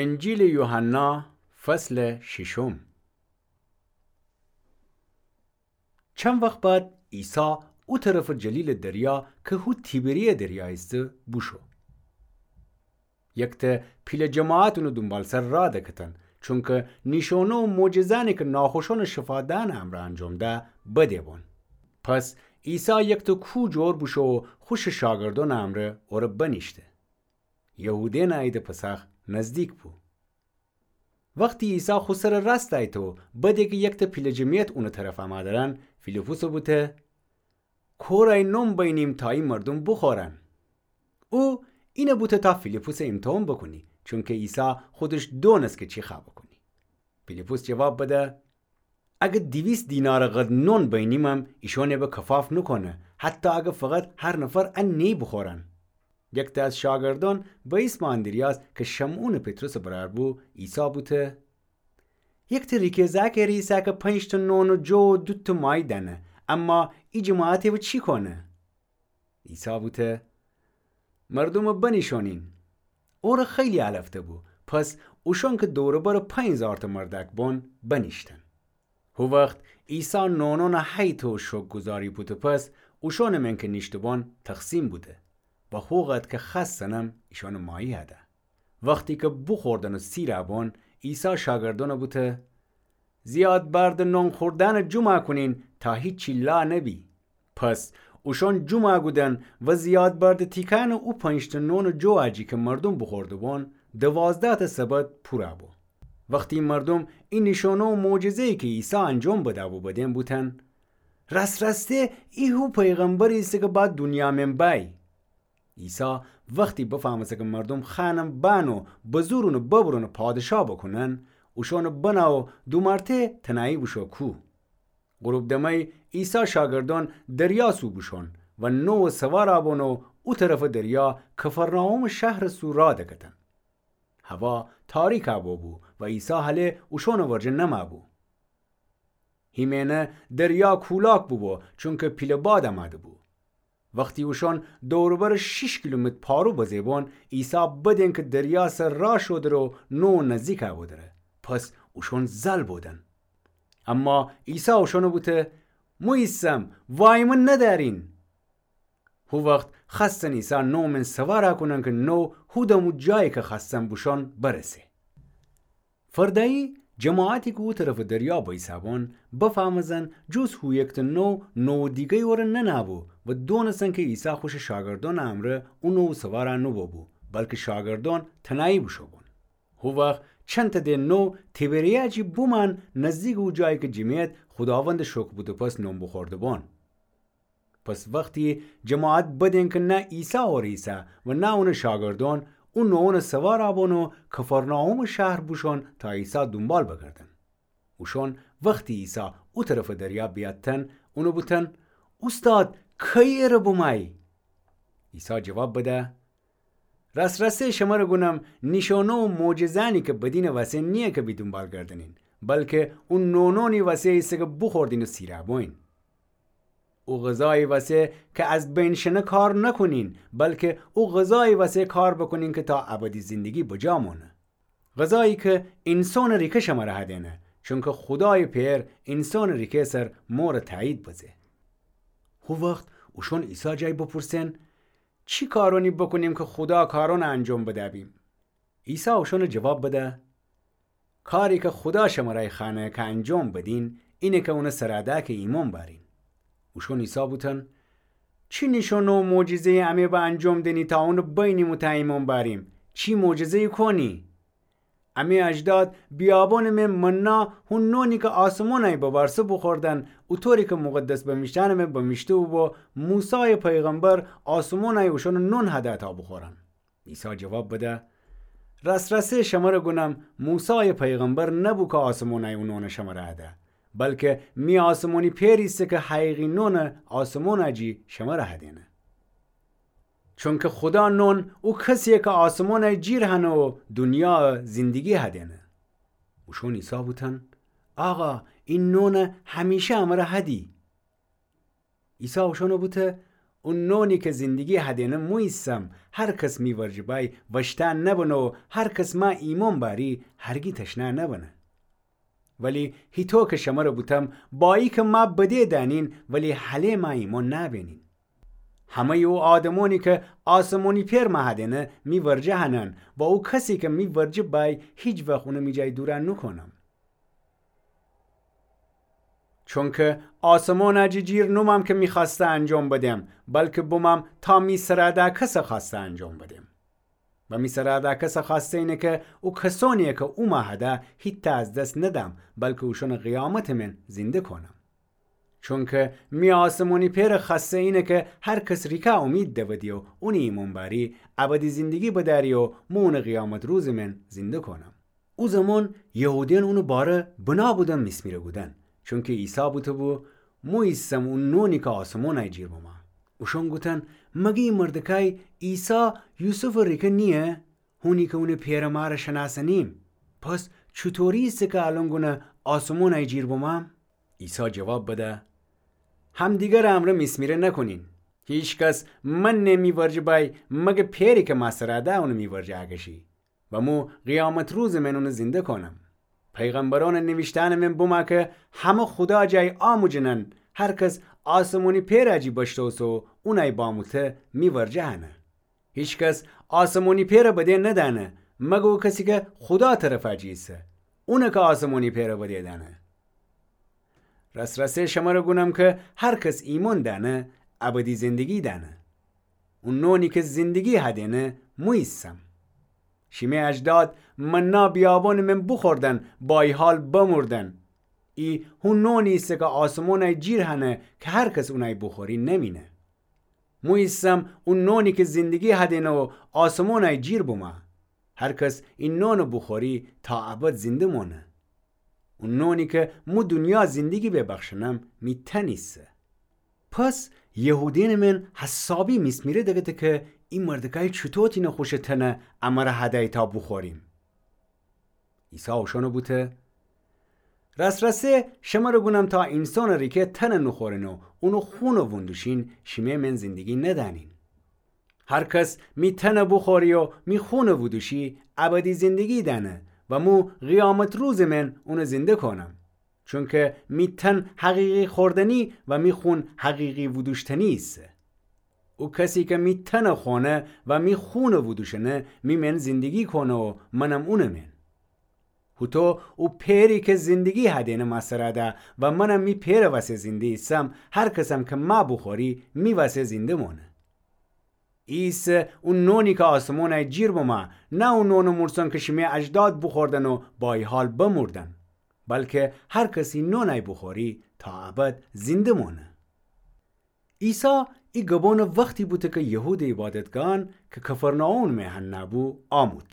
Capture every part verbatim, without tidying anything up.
انجیلٚ یوحنا، فصلٚ ششم. چند وخت بعد عیسی او طرفٚ جلیلٚ دریا کی هو تیبریه دریا ایسه بوشو. یکته پیله جماعت اونٚ دونبالسر راه دکتن، چونکه نیشونه و معجزأنی کی ناخوشأنٚ شفا دئنٚ امرأ انجام ده بده‌بون. پس عیسی یکته کوه جور بوشو و خوشٚ شاگردأنٚ امرأ اوره بنیشته. یهودأنٚ عیدٚ پسخ نزدیک بو. وختی عیسی خو سرٚ راست ایته و بده کی یکته پیله جمعیت اونٚ طرف امه درن، فیلیپسه بوته: کورأیی نون بینیم تا ای مردوم بوخورن. او اینه بوته تا فیلیپسه ایمتحان بوکونی، چونکه عیسی خودش دونست کی چی خوأ بوکونی. فیلیپس جواب بده: اگر دیویست دینارٚ قدر نون بینیمم، ایشأنٚ به کفاف نوکونه، حتی اگر فقط هر نفر ا نیی بوخورن. یکته از شاگردأن به ایسمٚ آندریاس کی شمعونٚ پطرسٚ برأر بو، عیسی بوته: یکته ریکه زأکٚ ره ایسه کی پنج‌ته نون و جو و دوتأ ماهی دأنه، اما ای جماعتٚ به چی کونه؟ عیسی بوته: مردومٚ بنیشأنین. اوره خیلی علفته بو، پس اوشأن کی دور و برٚ پنج هیزارتأ مردأک بون، بنیشتن. هو وخت عیسی نونأنٚ هیته و شوکرگزاری بوته پس، اوشأنٚ من کی نیشته‌بون تقسیم بوده و هو قدر کی خوأستنم ایشأنٚ ماهی هده. وختی کی بوخوردن و سیرٚ بون، عیسی شاگردأنٚ بوته: زیاد بردٚ نون خوردنٚ جمع کونین تا هیچی لا نبی. پس اوشأن جمع کودن و زیاد بردٚ تیکأنٚ او پنج‌ته نونٚ جویٚ جی کی مردوم بوخورده‌بون، دوازده‌تأ سبد پورَ بو. وختی مردوم ای نیشأنه و معجزه‌یی کی عیسی انجام بده‌بو بدین بوتن: راس‌راسته ای هو پیغمبری ایسه کی با دونیا من بأیی. عیسی وختی بفهمسته کی مردوم خوأنم بأن و بزور اونٚ ببرون و پادشاه بوکونن، اوشأنٚ بنه و دومرته تنهایی بوشو کوه. غروب دمه‌یی عیسی شاگردأن دریا سو بوشون و نووٚ سوارَ بون و او طرفٚ دریا کفرناحومٚ شهرٚ سو راه دکتن. هوا تاریکَ بوبو و عیسی هله اوشأنٚ ورجه نمَ بو. هیمه‌ینه دریا کولاک بوبو، چونکی پیله باد امده بو. وختی اوشأن دور و برٚ شیش کیلومتر پارو بزه بون، عیسی بدین کی دریا سر راه شودره و نووٚ نزدیکَ بودره. پس اوشأن زل بودن. اما عیسی اوشأنَ بوته: مو ایسم، وای مو ندأرین. هو وخت خوأستن عیسی نووٚ من سوارَ کونن کی نووٚ هو دم او جایی کی خوأستن بوشون برسه. فردأیی جماعتی کی او طرفٚ دریا بئیسَ بون بفهمستن جز هو یکته نووٚ، نووٚ دیگه‌یی اوره ننه‌بو و دونستن کی عیسی خوشٚ شاگردأنٚ امرأ او نووٚ سوارَ نوبوبو، بلکی شاگردأن تنهایی بوشو بون. هو وخت چندتأ ده نووٚ تیبریه جی بومأن نزدیکٚ او جایی کی جمعیت خوداوندَ شکر بوته پس نون بوخورده بون. پس وختی جماعت بدین کی نه عیسی اوره ایسه و نه اونٚ شاگردأن، او نووٚنَ سوارَ بون و کفرناحومٚ شهر بوشون تا عیسی دونبال بگردن. اوشأن وختی عیسی او طرفٚ دریا بیأتتن، اونَ بوتن: اوستاد، کیی ره بومایی؟ عیسی جواب بده: راس‌راسی شمره گونم، نیشأنه و معجزه‌یأنی کی بدینٚ وسه نییه کی بی دونبال گردنین، بلکی او نووٚنی وسه ایسه کی بوخوردین و سیرَ بویین. او غذایی وسه کی از بین شنه کار نکونین، بلکی او غذایی وسه کار بکونین کی تا ابدی زندگی بجا مانه. غذایی کی اینسانٚ ریکه شمره هدینه، چونکی خودایٚ پئر اینسانٚ ریکه سر مورٚ تأیید بزه. هو وخت اوشأن عیسی جای بپرسن: چی کارأنی بکونیم کی خودا کارأنَ انجام بده‌بیم؟ عیسی اوشأنَ جواب بده: کاری کی خودا شمرأ خوأنه کی انجام بدین، اینه کی اونٚ سرَ ده کی ایمأن بأرین. اوشأن عیسی بوتن: چی نیشأنه و معجزه‌یی امه به انجام دینی تا اونَ بینیم و تأ ایمأن بأریم؟ چی معجزه‌یی کونی؟ امه اجداد بیابانٚ من منا، هو نونی کی آسمانأیی ببارسه، بوخوردن، اوطوری کی مقدس بنویشته‌یأنٚ من بنویشته بوبو: موسایٚ پیغمبر آسمانأیی اوشأنَ نون هده تا بوخورن. عیسی جواب بده: راس‌راسی شمره گونم، موسایٚ پیغمبر نبو کی آسمانأیی او نونَ شمره هده، بلکی می آسمانی پئر ایسه کی حقیقی نونٚ آسمانٚ جی شمره هدینه. چونکی خودا نون او کسییه کی آسمانأیی جیر هنه و دونیایَ زندگی هدینه. اوشأن عیسی بوتن: آقا، ای نونَ همیشه امره هدی. عیسی اوشأنَ بوته: او نونی کی زندگی هدینه مو ایسم، هر کس می ورجه بای وشته نبنه و هر کس ما ایمون بأری هرگی تشنه نبنه. ولی هیطو کی شمره بوتم، با ایکه ما بدی دأنین، ولی هله ما ایمون نبینین. همه‌ی او آدمونی کی آسمونی پئر مه هدینه می ورجه هنن و او کسی کی می ورجه بای هیچ وخت اونه می جای دور نوکونم. چونکی آسمون جی جیر نومم کی می خوأسته انجام بدم، بلکی بومم تا می سرا ده کسه خوأسته انجام بدم. و می سرا ده کسه خوأسته اینه کی او کسونی کی او مه هده هیتأ از دس ندم، بلکی اوشونه قیامت من زنده کونم. چونکی می آسمونی پئر خوأسته اینه کی هر کس ریکا اومید دودی و اونی ایمون بأری، ابدی زندگی بدأری و مو اونه قیامت روز من زنده کونم. او زمان یهودیأن اونٚ باره بنا بودن میسمیره کودن، چونکی عیسی بوته‌بو: مو ایسم او نونی کی آسمونأی جیر بومه. اوشأن گوتن: مگه ای مردکای عیسی یوسفٚ ریکه نییه؟ هونی کی اونٚ پئرٚ مارَ شنأسنیم. پس چوطوری ایسه کی الأن گونه آسمونأی جیر بومم؟ عیسی جواب بده: همدیگرٚ امرأ میسمیره نکونین. هیکس منه می ورجه بای مگه پئری کی ما سرا ده اونٚ می ورجه اکشی و مو قیامت روزٚ من اونٚ زنده کونم. پیغمبرأنٚ نیویشته‌نٚ من بومه کی همه خودا جای آموجنن، هر کس آسمونی پئرٚ جی بشتوسه و اونأی باموته می ورجه هنه. هیکس آسمونی پئرَ بدی ندأنه، مگه او کسی کی خودا طرفٚ جی ایسه، اونٚ کی آسمونی پئرَ بدی دأنه. راس‌راسی شمره گونم کی هر کس ایمون دأنه، ابدی زندگی دأنه. او نونی کی زندگی هدینه مو ایسم. شیمی اجداد منا بیابونٚ من بوخوردن، با ای حال بمردن. ای هو نونی ایسه کی آسمونأی جیر هنه کی هر کس اونأی بوخوری نمینه. مو ایسم او نونی کی زندگی هدینه و آسمونأی جیر بومه. هر کس ای نونَ بوخوری تا ابد زنده مونه. او نونی کی مو دونیا زندگی ببخشنم می تن ایسه. پس یهودیأنٚ من حسابی میسمیره دکته کی ای مردکای چوطو تینه خوشٚ تنَ امره هدأی تا بوخوریم. عیسی اوشأنَ بوته: راس‌راسی شمره گونم تا اینسانٚ ریکه تنَ نوخورین و اونٚ خونَ وندوشین، شیمی من زندگی ندأنین. هر کس می تنَ بوخوری و می خونَ ودوشی، ابدی زندگی دأنه و مو قیامت روزٚ من اونَ زنده کونم. چونکی می تن حقیقی خوردنی و می خون حقیقی ودوشتنی ایسه. او کسی کی می تنَ خونه و می خونَ ودوشنه، می من زندگی کونه و منم اونٚ من. هوطو او پئری کی زندگی هدینه ما سرا ده و منم می پئرٚ وسه زنده ایسم، هر کسم کی ما بوخوری می وسه زنده مونه. ای ایسه او نونی کی آسمونأی جیر بومه، نه او نونٚ مورسن کی شیمی اجداد بوخوردن و با ای حال بمردن، بلکی هر کس ای نونأی بوخوری تا ابد زنده مونه. عیسی ای گبونٚ وختی بوته کی یهودٚ عیبادتگاهأن کی کفرناحوم میأن نهه‌بو آمود.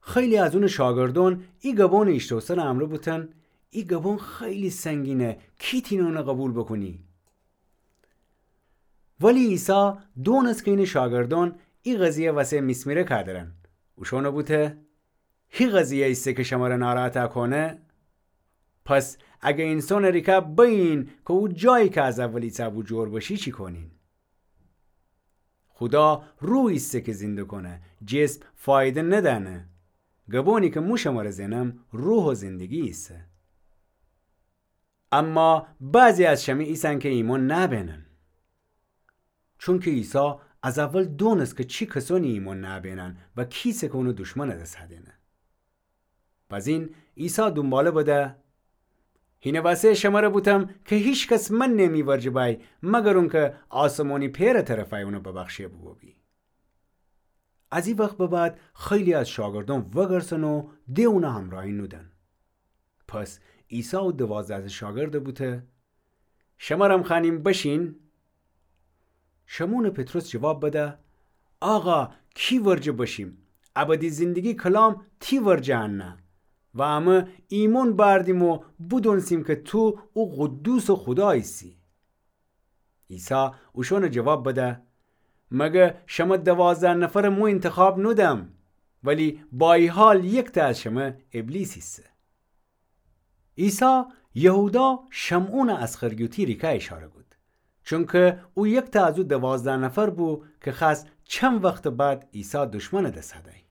خیلی از اونٚ شاگردأن ای گبونٚ ایشتوسنٚ امرأ بوتن: ای گبون خیلی سنگینه، کی تینه اونَ قوبیل بوکونی؟ ولی عیسی دونسته کی اینٚ شاگردأن ای قضیه وسه میسمیره کودرن. اوشأنَ بوته: هی قضیه ایسه کی شمره ناراحت کونه؟ پس اگر اینسانٚ ریکه بأیین کی او جایی کی از اول ایسه‌بو جور بشی، چی کونین؟ خودا روح ایسه کی زنده کونه، جسم فایده ندأنه. گبونی کی مو شمره زنم روح و زندگی ایسه. اما بعضی از شمه ایسن کی ایمون نبینن. چونکی عیسی از اول دونسته کی چی کسأنی ایمون نبینن و کی ایسه کی اونٚ دشمنٚ دس هدینه. بزین عیسی دونباله بده: هینٚ وسه شمره بوتم کی هیکس منه می ورجه بأی مگر اونکی آسمونی پئرٚ طرفأی اونَ ببخشه بوبو بی. از ای وخت به بعد خیلی از شاگردأن وگرسن و د اونَ همراهی نودن. پس عیسی او دوازده‌تأ شاگردَ بوته: شمرم خوأنیم بشین؟ شمعونٚ پطرس جواب بده: آقا، کی ورجه بشیم؟ ابدی زندگی کلام تی ورجه انه و امه ایمون بأردیم و بودونستیم کی تو او قدوسٚ خودا ایسی. عیسی اوشأنَ جواب بده: مگر شمه دوازده نفرَ مو انتخاب نودم؟ ولی با ای حال یکتأ از شمه ابلیس ایسه. عیسی یهودا شمعونٚ اسخریوطی ریکه اشاره کود. چونکه او یکتأ از او دوازده نفر بو کی خأست چند وختٚ بعد عیسی دشمنٚ دس هدأی.